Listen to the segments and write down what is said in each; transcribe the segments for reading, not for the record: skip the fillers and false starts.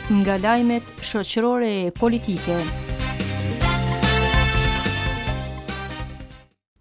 Nga lajmet shoqërore e politike.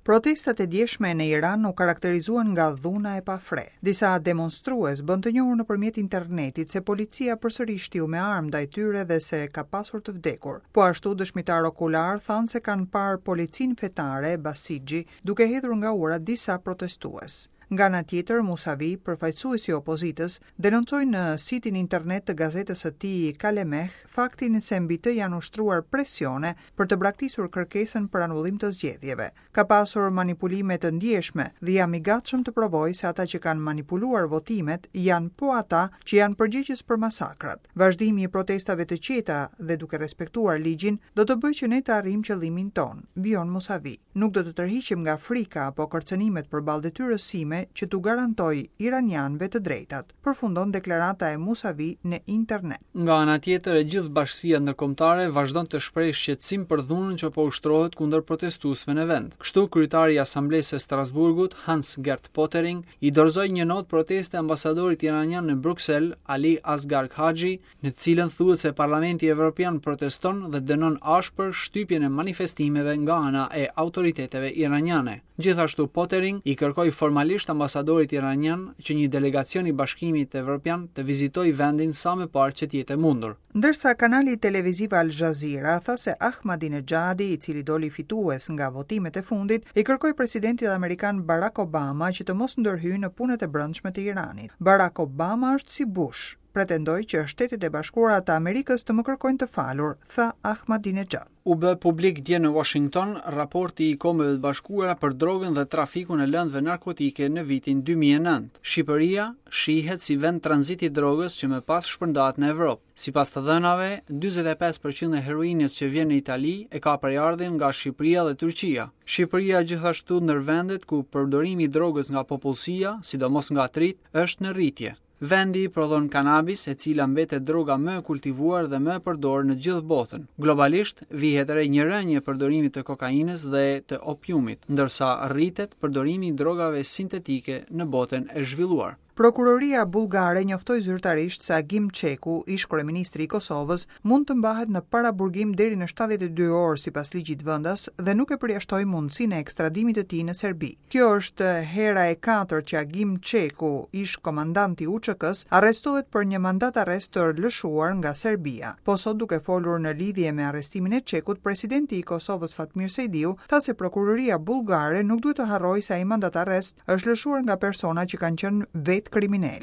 Protestat e djeshme në Iran u karakterizuan nga dhuna e pafre. Disa demonstrues bënë të njohur nëpërmjet internetit se policia përsëri shtiu me armë ndaj tyre dhe se ka pasur të vdekur. Po ashtu dëshmitarë okularë thanë se kanë parë policinë fetare Basixhi duke hedhur nga ura disa protestues. Nga ana tjetër, Musavi, përfaqësuesi i opozitës, denoncoi në sitin internet të gazetës së tij Kalemeh faktin se mbi të janë ushtruar presione për të braktisur kërkesën për anullim të zgjedhjeve. Ka pasur manipulime të ndjeshme dhe jam i gatshëm të provoj se ata që kanë manipuluar votimet janë po ata që janë përgjegjës për masakrat. Vazhdimi i protestave të qeta dhe duke respektuar ligjin do të bëjë që ne të arrijmë qëllimin tonë, vijon Musavi. Nuk do të tërhiqem nga frika apo kërcënimet përballë detyrës sime që t'u garantoj iranianëve të drejtat, përfundon deklarata e Musavi në internet. Nga ana tjetër, e gjithë bashkësia ndërkombëtare vazhdon të shprehë shqetësim për dhunën që po ushtrohet kundër protestuesve në vend. Kështu, kryetari i Asamblesë së Strasburgut, Hans-Gert Pöttering, i dorëzoi një notë proteste ambasadorit iranian në Bruksel, Ali Asghar Khaji, në të cilën thuhet se Parlamenti Evropian proteston dhe dënon ashpër shtypjen e manifestimeve nga ana e autoriteteve iraniane. Gjithashtu Pöttering i kërkoi formalisht ambasadorit iranian që një delegacion i Bashkimit Evropian të vizitojë vendin sa më parë që të jetë e mundur. Ndërsa kanali televiziv Al Jazeera tha se Ahmadinejadi, i cili doli fitues nga votimet e fundit, i kërkoi presidentit amerikan Barack Obama që të mos ndërhyjë në punët e brendshme të Iranit. Barack Obama është si Bush. Pretendoj që Shtetet e Bashkuara të Amerikës të më kërkojnë të falur, tha Ahmadinejad. U bë publik dje në Washington raporti i Kombeve të Bashkuara për drogën dhe trafikun e lëndëve narkotike në vitin 2009. Shqipëria shihet si vend tranzit i drogës që më pas shpërndahet në Evropë. Sipas të dhënave, 45% e heroinës që vjen në Itali e ka prejardhjen nga Shqipëria dhe Turqia. Shqipëria gjithashtu ndër vendet ku përdorimi i drogës nga popullsia, sidomos nga të rinjtë, është në rritje. Vendi prodhon kanabis, e cila mbetet droga më e kultivuar dhe më e përdorur në gjithë botën. Globalisht, vihet re një rënie e përdorimit të kokainës dhe të opiumit, ndërsa rritet përdorimi i drogave sintetike në botën e zhvilluar. Prokuroria bullgare njoftoi zyrtarisht se Agim Çeku, ish-kryeministri i Kosovës, mund të mbahet në paraburgim deri në 72 orë sipas ligjit vendas dhe nuk e përjashtoi mundësinë e ekstradimit të tij në Serbi. Kjo është hera e katërt që Agim Çeku, ish-komandant i UÇK-së, arrestohet për një mandat-arrest të lëshuar nga Serbia. Po sot duke folur në lidhje me arrestimin e Çekut, presidenti i Kosovës Fatmir Sejdiu tha se prokuroria bullgare nuk duhet të harrojë se ai mandat-arrest është lëshuar nga persona që kanë qenë vetë kriminelë.